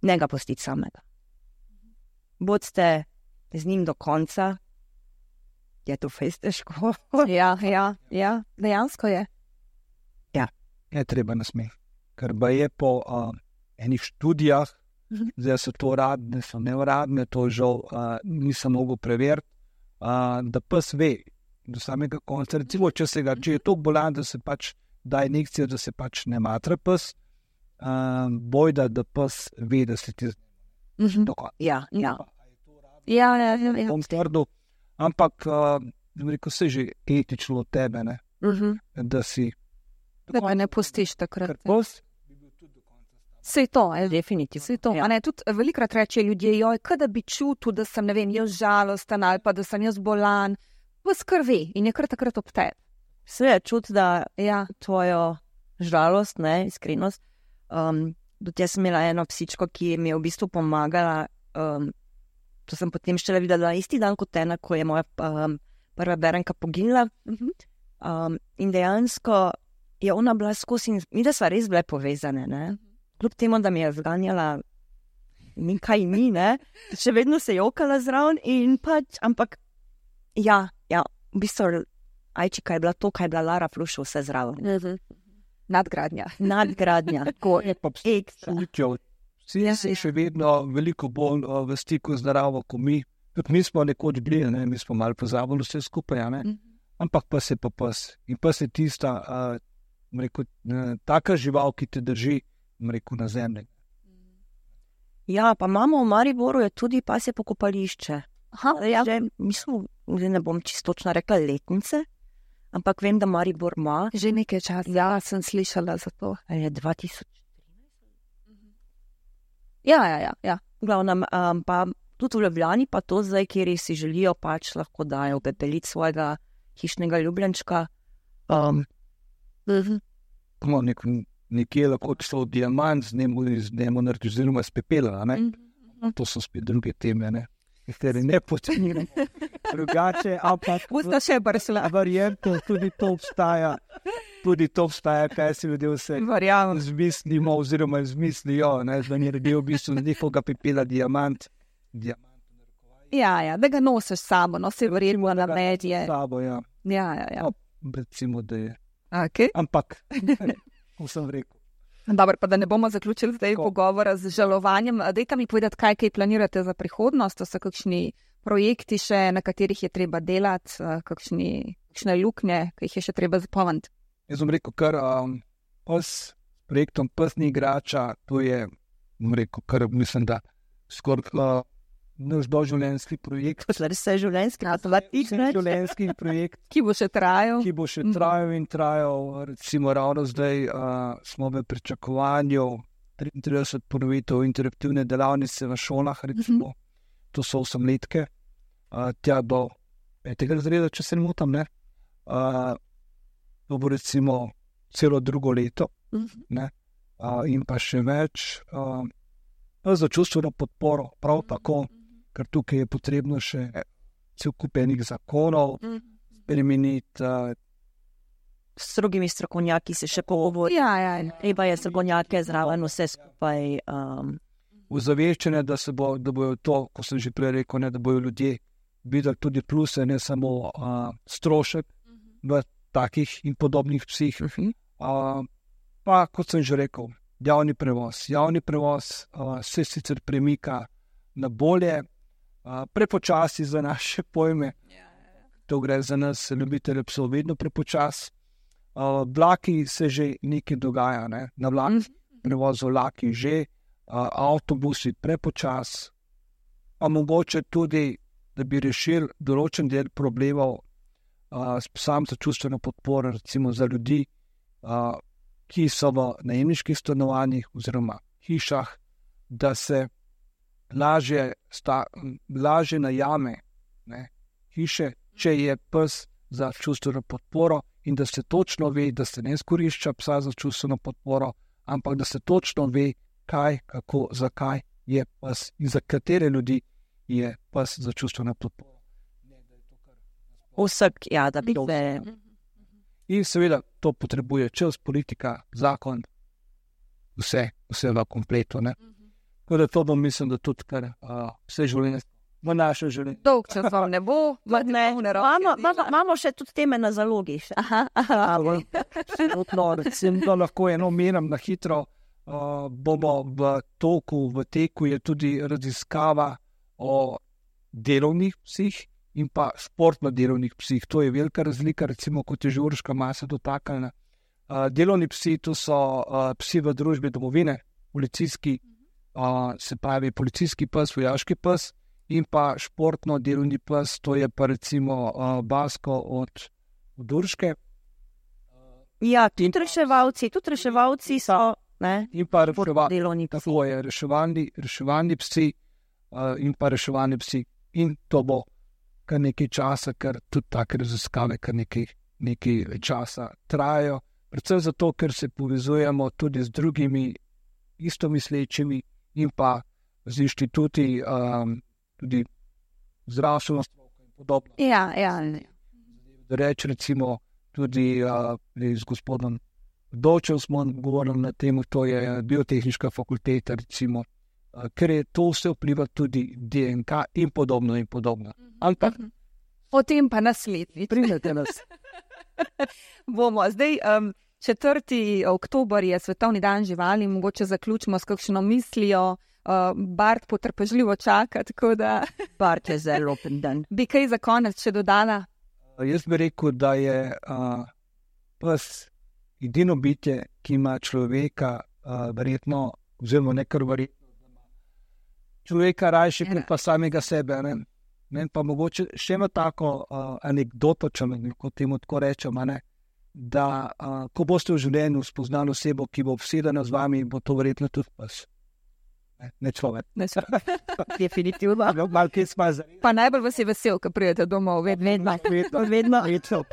ne ga pustiti samega. Bodite z njim do konca, je to fejst težko. Ja, ja, ja, dejansko je. Je treba nasmeh, ker ba je po uh, enih študijah, Mhm. zdaj so to uradne, so neuradne, to žal uh, nisem mogel preveriti, uh, da pes ve do samega konca. Recimo, če, se ga, če je to bolan, da se pač da injekcijo, da se pač ne matra pes, uh, bojda, da pes ve, da se ti Mhm. do konca. Ja, ja. Ja, ja, ja, ja. Bom trdil, ampak uh, rekel, se že etično od tebe, ne, Mhm. da si Da ga ne pustiš takrat. ker pes bi bil tudi do konca. Sej to, je Definitivno. Sej to. Ja. A ne, tudi velikrat reče ljudje, joj, kaj da bi čutil, da sem, ne vem, jaz žalosten ali pa da sem jaz bolan. Pes krvi in je kar takrat ob tebi. Vse je čut, da Ja. tvojo žalost, ne, iskrenost. Um, tudi jaz sem imela eno psičko, ki mi je v bistvu pomagala. Um, to sem potem šele videla isti dan kot ena, ko je moja um, prva berenka poginila. Mhm. Um, in dejansko je ona bila skozi in mi, da sva res bile povezane. Ne? Kljub temu, da mi je zganjala nekaj mi, ne? Še vedno se je jokala zraven in pač, ampak ja, ja, v bistvu ajčika je bila to, kaj je bila Lara Flušo vse zraven. Nadgradnja. Nadgradnja, tako Je pa ekstra. psičo. Vsi Ja, si ja. še vedno veliko bolj uh, v stiku z naravo, kot mi. Tudi mi smo nekoč bili, ne? Mi smo malo pozabili vse skupaj, a ne? Mhm. Ampak pes je pa pes. In pes je tista, uh, bom rekel, uh, taka žival, ki te drži, bom rekel, na zemlji. Ja, pa imamo v Mariboru je tudi pasje pokopališče. Aha, Ja. Že, mislim, zdaj ne bom čisto točno rekla letnice, ampak vem, da Maribor ima. že nekaj časa. Ja, sem slišala za to. Ali je dva tisoč. Ja, ja, ja. ja. Glavnem, um, pa tudi v Ljubljani pa to zdaj, kjer si želijo, pač lahko dajo pepeliti svojega hišnega ljubljenčka. Um, Mhm. No, nek, nekje lahko šlo diamant z njemu, z njemu naredi, oziroma z pepela, a ne? Mhm. To so spet druge teme, ne? Kateri ne pocenimo. Drugače, ampak Usta še bršla. varianto, tudi to obstaja. Tudi to obstaja, kaj si ljudje vse Verjamem. zmislimo, oziroma izmislijo, ne, da ni redil v bistvu z njihovega pepela diamant. Diamant Ja, ja, da ga nosiš s sabo, no se verjetno na medije. s sabo, ja. Ja, ja, ja. No, recimo, da je. Okay. Ampak, kot sem rekel, Dobro, pa da ne bomo zaključili zdaj Tako. pogovora z žalovanjem. Dajte mi povedati, kaj, kaj planirate za prihodnost, to so kakšni projekti še, na katerih je treba delati, eh, kakšni, kakšne luknje, ki jih je še treba zapolniti. jaz bom rekel, kar um, pes, s projektom Pes ni igrača, to je, bom rekel, kar mislim, da skoraj uh, naš doživljenjski projekt. Posledaj se je življenjski, a to vatiš, ne? Življenjski projekt, Ki bo še trajal. ki bo še Mhm. trajal in trajal. Recimo ravno zdaj uh, smo v pričakovanju triintrideset ponovitev interaktivne delavnice v šolah, recimo. To so osemletke, uh, tja do petega razreda, če se ne motim, ne. Uh, to bo recimo celo drugo leto, Mhm. ne. Uh, in pa še več uh, za čustveno podporo, prav tako, ker tukaj je potrebno še cel kup enih zakonov spremeniti. Uh, S drugimi strokovnjaki se še pogovori. Ja, ja, ja. Treba je strokovnjake zraven vse skupaj. Um, Ozaveščene, da se bo, da bojo to, ko sem že prej rekel, ne, da bojo ljudje videli tudi pluse, ne samo uh, strošek v takih in podobnih psih. Uh, pa, kot sem že rekel, javni prevoz. Javni prevoz uh, se sicer premika na bolje, uh, prepočasi za naše pojme. To gre za nas, ljubitelje psov, vedno prepočasi. Uh, vlaki se že nekaj dogaja, ne? Na vlak prevozu vlaki že, uh, avtobusi prepočasi, pa mogoče tudi, da bi rešili določen del problemov uh, s psom za čustveno podporo, recimo za ljudi, uh, ki so v najemniških stanovanjih oziroma hišah, da se lažje, sta, lažje najame, ne, hiše, če je pes za čustveno podporo in da se točno ve, da se ne izkorišča psa za čustveno podporo, ampak da se točno ve, kaj, kako, zakaj je pes in za katere ljudi je pes za čustveno podporo. Vsak, ja, da bi se. In seveda to potrebuje čas, politika, zakon, vse, vse v kompletu. Ne? Tako da to bom mislim, da tudi kar uh, vse življenje, v naše življenje. Dolg čas vam ne bo, Ne, imamo, imamo, imamo še tudi teme na zalogi. Še. Aha, aha. No, recimo, da lahko eno omenim na hitro, uh, bomo v toku, v teku je tudi raziskava o delovnih psih in pa športno delovnih psih. To je velika razlika, recimo, kot je že Urška masa dotaknjena. Uh, delovni psi, to so uh, psi v družbi domovine, policijski, uh, se pravi policijski pes, vojaški pes in pa športno delovni pes, to je pa recimo uh, Basko od, od Urške. Ja, tudi reševalci, tudi reševalci so, ne, In pa reševalni, delovni psi. tako je, reševalni, reševalni psi uh, in pa reševalni psi. In to bo kar nekaj časa, ker tudi take raziskave kar nekaj, nekaj časa trajajo. Predvsem zato, ker se povezujemo tudi z drugimi istomislečimi in pa z inštituti, um, tudi zdravstveno stroko in podobno. Ja, ja. Reč recimo tudi uh, z gospodom Dočev smo govorili na temu, to je biotehniška fakulteta, recimo, uh, ker je to vse vpliva tudi D N K in podobno in podobno. Ampak O tem pa naslednjič. pridete nas. Bomo. Zdaj, um, četrti oktober je Svetovni dan živali, mogoče zaključimo s kakšno mislijo. Uh, Bart potrpežljivo čaka, tako da Bart je zelo dan. bi kaj za konec še dodala. Jaz bi rekel, da je uh, pes edino bitje, ki ima človeka uh, verjetno, oziroma nekar verjetno, da ima človeka rajši kot pa samega sebe. Ne? Ne, pa mogoče še ima tako uh, anekdoto, če lahko temu tako rečem, a ne, da uh, ko boste v življenju spoznali osebo, ki bo obsedena z vami, bo to verjetno tudi pes. Ne, ne človek. Ne, Definitivno. Malo kje smo zdaj. Pa najbolj vas je vesel, ko pridete domov, vedno. Vedno, vedno. Vedno.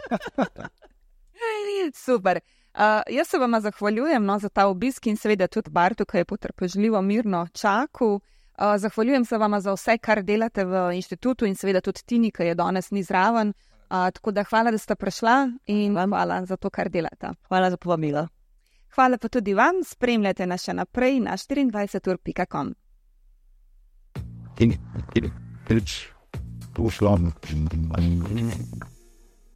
Super. Uh, jaz se vama zahvaljujem no, za ta obisk in seveda tudi Bartu, ki je potrpežljivo mirno čakal. Uh, zahvaljujem se vama za vse, kar delate v inštitutu in seveda tudi Tini, ki je danes ni zraven. Uh, tako da hvala, da ste prišla in hvala za to, kar delate. Hvala za povabilo. Hvala pa tudi vam, spremljate nas še naprej na štiriindvajset ur pika com. In, in, in, in, in, in, in, in, in, in, in,